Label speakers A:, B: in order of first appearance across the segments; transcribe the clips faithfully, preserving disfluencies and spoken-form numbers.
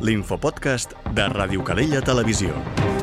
A: l'infopodcast de Ràdio Calella Televisió.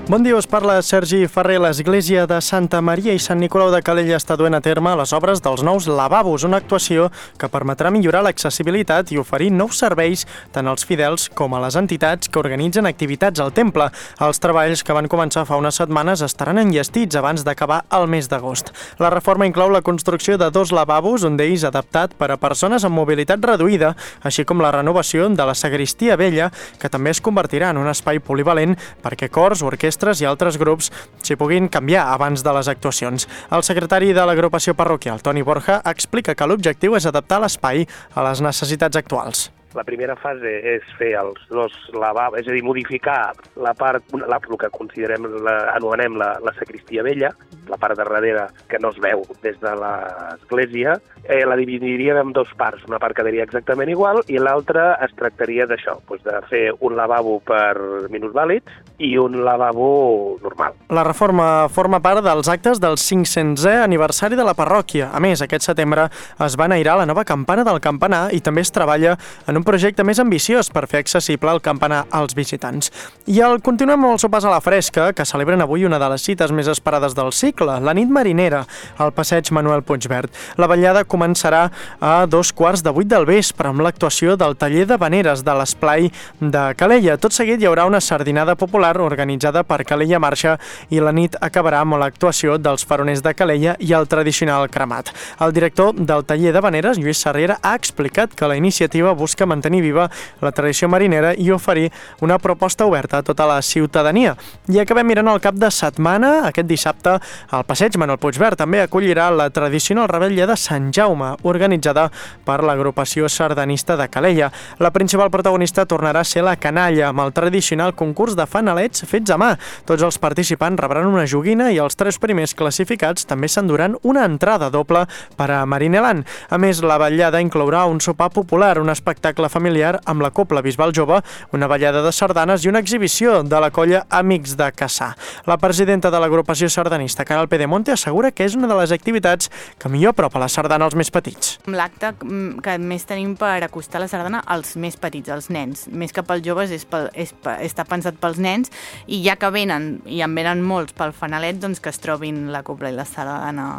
B: Bon dia, us parla Sergi Ferrer. L'Església de Santa Maria i Sant Nicolau de Calella està duent a terme les obres dels nous lavabos, una actuació que permetrà millorar l'accessibilitat i oferir nous serveis tant als fidels com a les entitats que organitzen activitats al temple. Els treballs, que van començar fa unes setmanes, estaran enllestits abans d'acabar el mes d'agost. La reforma inclou la construcció de dos lavabos, un d'ells adaptat per a persones amb mobilitat reduïda, així com la renovació de la sagristia vella, que també es convertirà en un espai polivalent perquè cors, orquestres i altres grups s'hi puguin canviar abans de les actuacions. El secretari de l'agrupació parroquial, Toni Borja, explica que l'objectiu és adaptar l'espai a les necessitats actuals.
C: La primera fase és fer els dos lavabos, és a dir, modificar la part, la, el que considerem, la, anomenem la, la sagristia vella, la part de darrere que no es veu des de l'església, eh, la dividiríem en dos parts. Una part quedaria exactament igual i l'altra es tractaria d'això, doncs de fer un lavabo per minusvàlids i un lavabo normal.
B: La reforma forma part dels actes del cinc-centè aniversari de la parròquia. A més, aquest setembre es va enairar la nova campana del campanar i també es treballa en un projecte més ambiciós per fer accessible el campanar als visitants. I el continuem amb el sopars a la fresca, que celebren avui una de les cites més esperades del cicle, la nit marinera, al passeig Manuel Puigverd. La vetllada començarà a dos quarts de vuit del vespre amb l'actuació del taller de veneres de l'esplai de Calella. Tot seguit hi haurà una sardinada popular organitzada per Calella Marxa i la nit acabarà amb l'actuació dels faroners de Calella i el tradicional cremat. El director del taller de veneres, Lluís Sarriera, ha explicat que la iniciativa busca mantenir viva la tradició marinera i oferir una proposta oberta a tota la ciutadania. I acabem mirant el cap de setmana. Aquest dissabte, el passeig Manuel Puigverd també acollirà la tradicional rebella de Sant Jaume, organitzada per l'agrupació sardanista de Calella. La principal protagonista tornarà a ser la canalla, amb el tradicional concurs de fanalets fets a mà. Tots els participants rebran una joguina i els tres primers classificats també s'enduran una entrada doble per a Marineland. A més, la vetllada inclourà un sopar popular, un espectacle familiar amb la Cobla Bisbal Jove, una ballada de sardanes i una exhibició de la colla Amics de Cassà. La presidenta de l'agrupació sardanista, Caral Pedemonte, assegura que és una de les activitats que millor apropa la sardana als més petits.
D: L'acte que més tenim per acostar la sardana als més petits, als nens. Més que pels joves, és pel, és, està pensat pels nens, i ja que venen, i en venen molts pel fanalet, doncs que es trobin la cobla i la sardana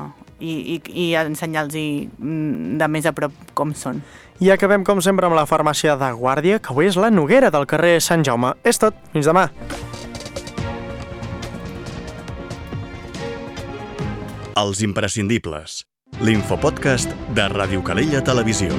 D: i, i, i ensenyar-los de més a prop com són.
B: I acabem, com sempre, amb la farmàcia de Guàrdia, que avui és la Noguera del carrer Sant Jaume. És tot. Fins demà.
A: Els imprescindibles. L'infopodcast de Ràdio Calella Televisió.